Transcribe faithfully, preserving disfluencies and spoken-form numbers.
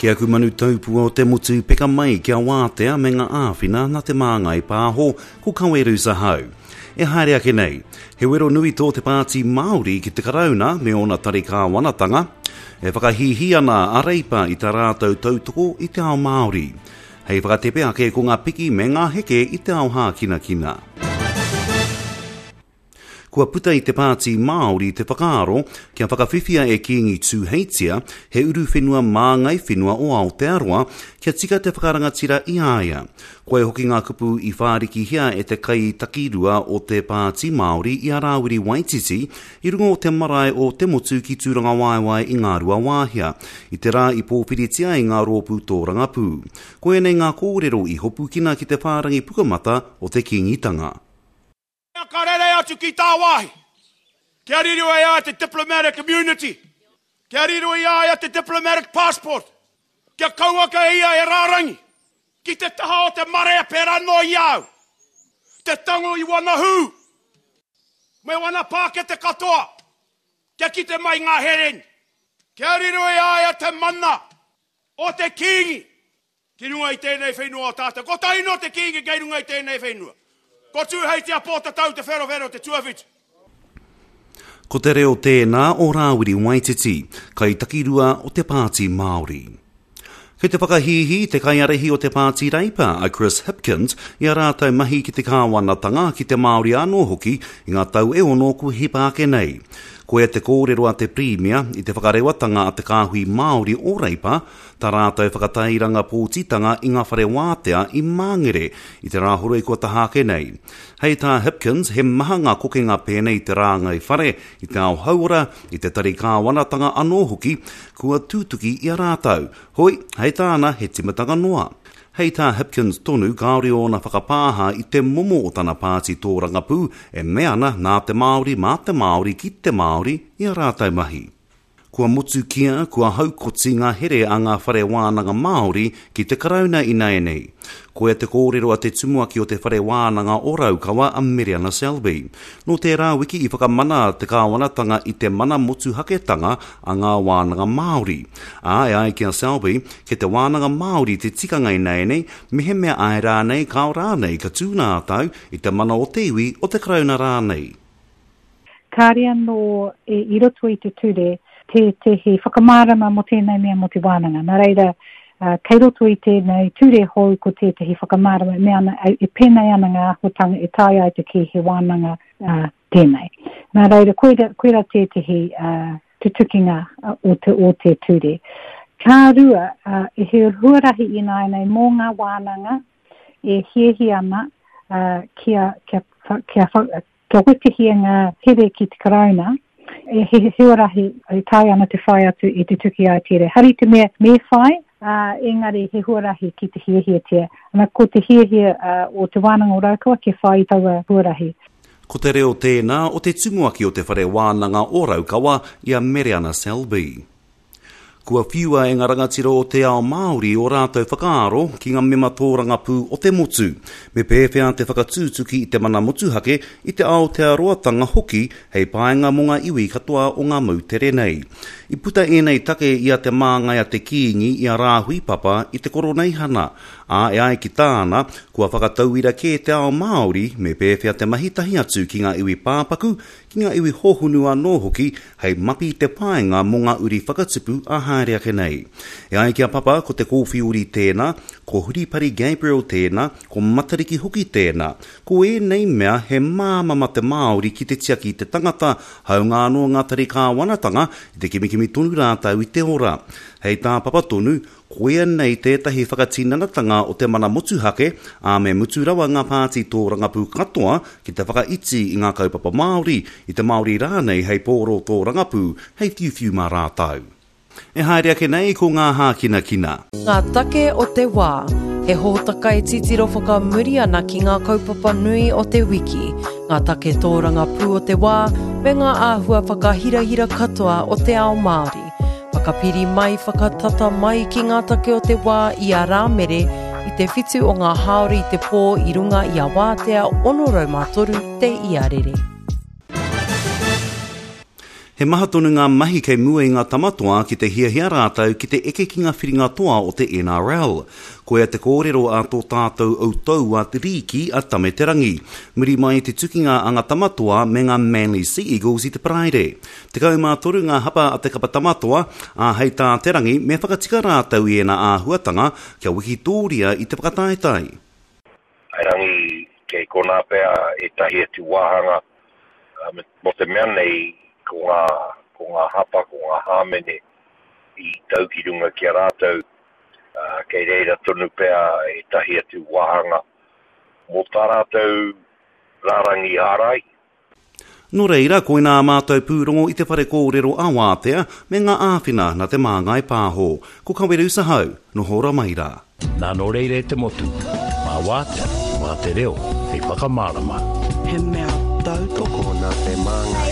Ki aku manu taupua o te motu peka mai kia wātea me ngā āwhina nā Te Māngai Pāho ko Kaweru Sahau. E haere ake nei, he wero nui tō te Pāti Māori ki te Karauna me ōna tari kāwanatanga, e whakahīhī ana a Reipa i tā rātou tautoko i te ao Māori. Hei whakatepe ake ko ngā piki me ngā heke i te ao hākinakina. Kua puta i te Pāti Māori te whakaaro kia whakawhiwhia e Kīngi Tūheitia he uruwhenua māngai whenua o Aotearoa kia tika te whakarangatira i a ia. Koia hoki ngā kupu i whārikihia e te kaitakirua o te Pāti Māori i a Rāwiri Waititi i runga o te marae o Te Motu ki Tūrangawaewae i Ngāruawāhia, i te rā i pōwhiritia i ngā rōpū tōrangapū. Koia nei ngā kōrero i hopukina ki te whārangi pukamata o te Kīngitanga. Ka rere atu ki tāwāhi, kia riro i a ia te diplomatic immunity, kia riro i a ia te diplomatic passport, kia kauaka ia e rārangi ki te taha o te marea pērā noa i a au, te tango i wana hū, me wana pākete katoa, kia kite mai ngā hereni, kia riro i a ia te mana o te Kīngi ki runga i tēnei whenua o tātou. Kotahi noa te Kīngi kei runga i tēnei whenua. Ko Tūheitia Pōtatau Te Wherowhero te tuawhitu. Ko te reo tēnā o Rāwiri Waititi, kaitakirua o te Pāti Māori. Kei te whakahīhī te kaiārahi o te Pāti Reipa, a Chris Hipkins, i a rātou mahi ki te kāwanatanga, ki te Māori anō hoki, i ngā tau e ono kua hipa ake nei. Koia te kōrero a te Pirimia i te whakarewatanga a te Kāhui Māori o Reipa, tā rātou whakatairanga pōtitanga i ngā whare wātea i Māngere, i te rāhoroi kua taha ake nei. Hei tā Hipkins, he maha ngā kokenga pēnei i te rāngai whare, i te ao hauora, i te tari kāwanatanga anō hoki, kua tutuki i a rātou. Hoi, hei tāna, he timatanga noa. Hei tā Hipkins tonu, kāore ōna whakapāha i te momo o tana pāti tōrangapū e mea ana nā te Māori mā te Māori ki te Māori i a rātou mahi. Kua motukia, kua haukoti ngā here a ngā whare wānanga Māori ki te Karauna ināianei. Koia te kōrero a te tumuaki o te whare wānanga o Raukawa a Mereana Selby. Nō tērā wiki i whakamana te kāwanatanga i te mana motuhaketanga a ngā wānanga Māori. Ā, e ai ki a Selby, kei te wānanga Māori te tikanga ināianei, mehemea āe rānei, kāo rānei ka tū rātou i te mana o te iwi o te Karauna rānei. Kāre anō e, i roto i te ture tētehi whakamārama mō tēnei mea mō te wānanga. Nā reira, uh, kei roto i tēnei ture hou ko tētehi whakamārama e mea ana, e pēnei ana ngā āhuatanga e taea ai te kī he wānanga uh, tēnei. Nā reira, koira, koira tētehi uh, tutukinga o te, o te ture. Ka rua, uh, he huarahi ināianei mō ngā wānanga e hiahia ana uh, kia, kia, kia, kia, kia wetehia ngā here ki te Karauna, e he huarahi e taea ana te whai atu i te tuki ai tere. Hari te mea me whai, uh, engari he huarahi ki te hiahiatia. Ana ko te hiahia uh, o te wānanga o Raukawa kia whai i taua huarahi. Ko te reo tēnā o te tumuaki o te whare wānanga o Raukawa i a Mereana Selby. Kua whiua e ngā rangatira o te ao Māori o rātou whakaaro ki ngā mema tōrangapū o te motu. Me pēwhea te whakatūtuki i te mana motuhake i te Aotearoatanga hoki hei painga mō ngā iwi katoa o ngā moutere nei. I puta ēnei take i a te māngai a te Kīngi i a Rāhui Papa i te Koroneihana. Ā, e ai ki tāna, kua whakatauira kē te ao Māori me pēwhea te mahi tahi atu ki ngā iwi pāpaku, ki ngā iwi hohunu anō hoki hei mapi te painga mō ngā uri whakatupu a haere ake nei. E ai ki a Papa, ko te kōwhiori tēnā, ko Huripari Gabriel tēnā, ko Matariki hoki tēnā. Ko ēnei mea he māmama te Māori ki te tiaki i te tangata, haunga anō ngā tari kāwanatanga i te kimikimi tonu rātou i te ora. Hei tā Papa tonu, koia nei tētahi whakatinanatanga o te mana motuhake, ā me mutu rawa ngā pāti tōrangapū katoa ki te whakaiti i ngā kaupapa Māori, i te Māori rānei hei pōro tōrangapū, hei whiuwhiu mā rātou. E haere ake nei ko ngā hākinakina. Ngā take o te wā, he hōtaka e titiro whakamuri ana ki ngā kaupapa nui o te wiki, ngā take tōrangapū o te wā, me ngā āhua whakahirahira katoa o te ao Māori. Whakapiri mai, whakatata mai ki ngā take o te wā i a Rāmere i te whitu o ngā hāori i te pō i runga i a Wātea ono rau mā toru te iarere. He He maha tonu ngā mahi kei mua i ngā tamatoa ki te hiahia rātou ki te eke ki ngā whiringa toa o te N R L. Koia te kōrero a tō tātou outou a te rīki a Tame Te Rangi. Muri mai te tukinga a ngā tamatoa me ngā Manly Sea Eagles i te Paraire. Tekau mā toru ngā hapa a te kapa tamatoa, a hei tā Te Rangi me whakatika rātou i ēnā āhuatanga kia wikitōria i te whakataetae. Erangi kei konā pea ētahi atu wāhanga mō te mea nei ko ngā, ko ngā hapa, ko ngā hāmene i tau ki runga ki a rātou, uh, kei reira tonu pea ētahi atu wāhanga mō tā rātou rārangi ārai. Nō reira, koinā mātou pūrongo i te whare kōrero a Wātea me ngā āwhina na Te Māngai Pāho. Ko Kaweru Sahau, noho ora mai rā. Nā nō reira e te motu, mā Wātea, mā te reo, hei whakamārama. He mea tautoko nā Te Māngai.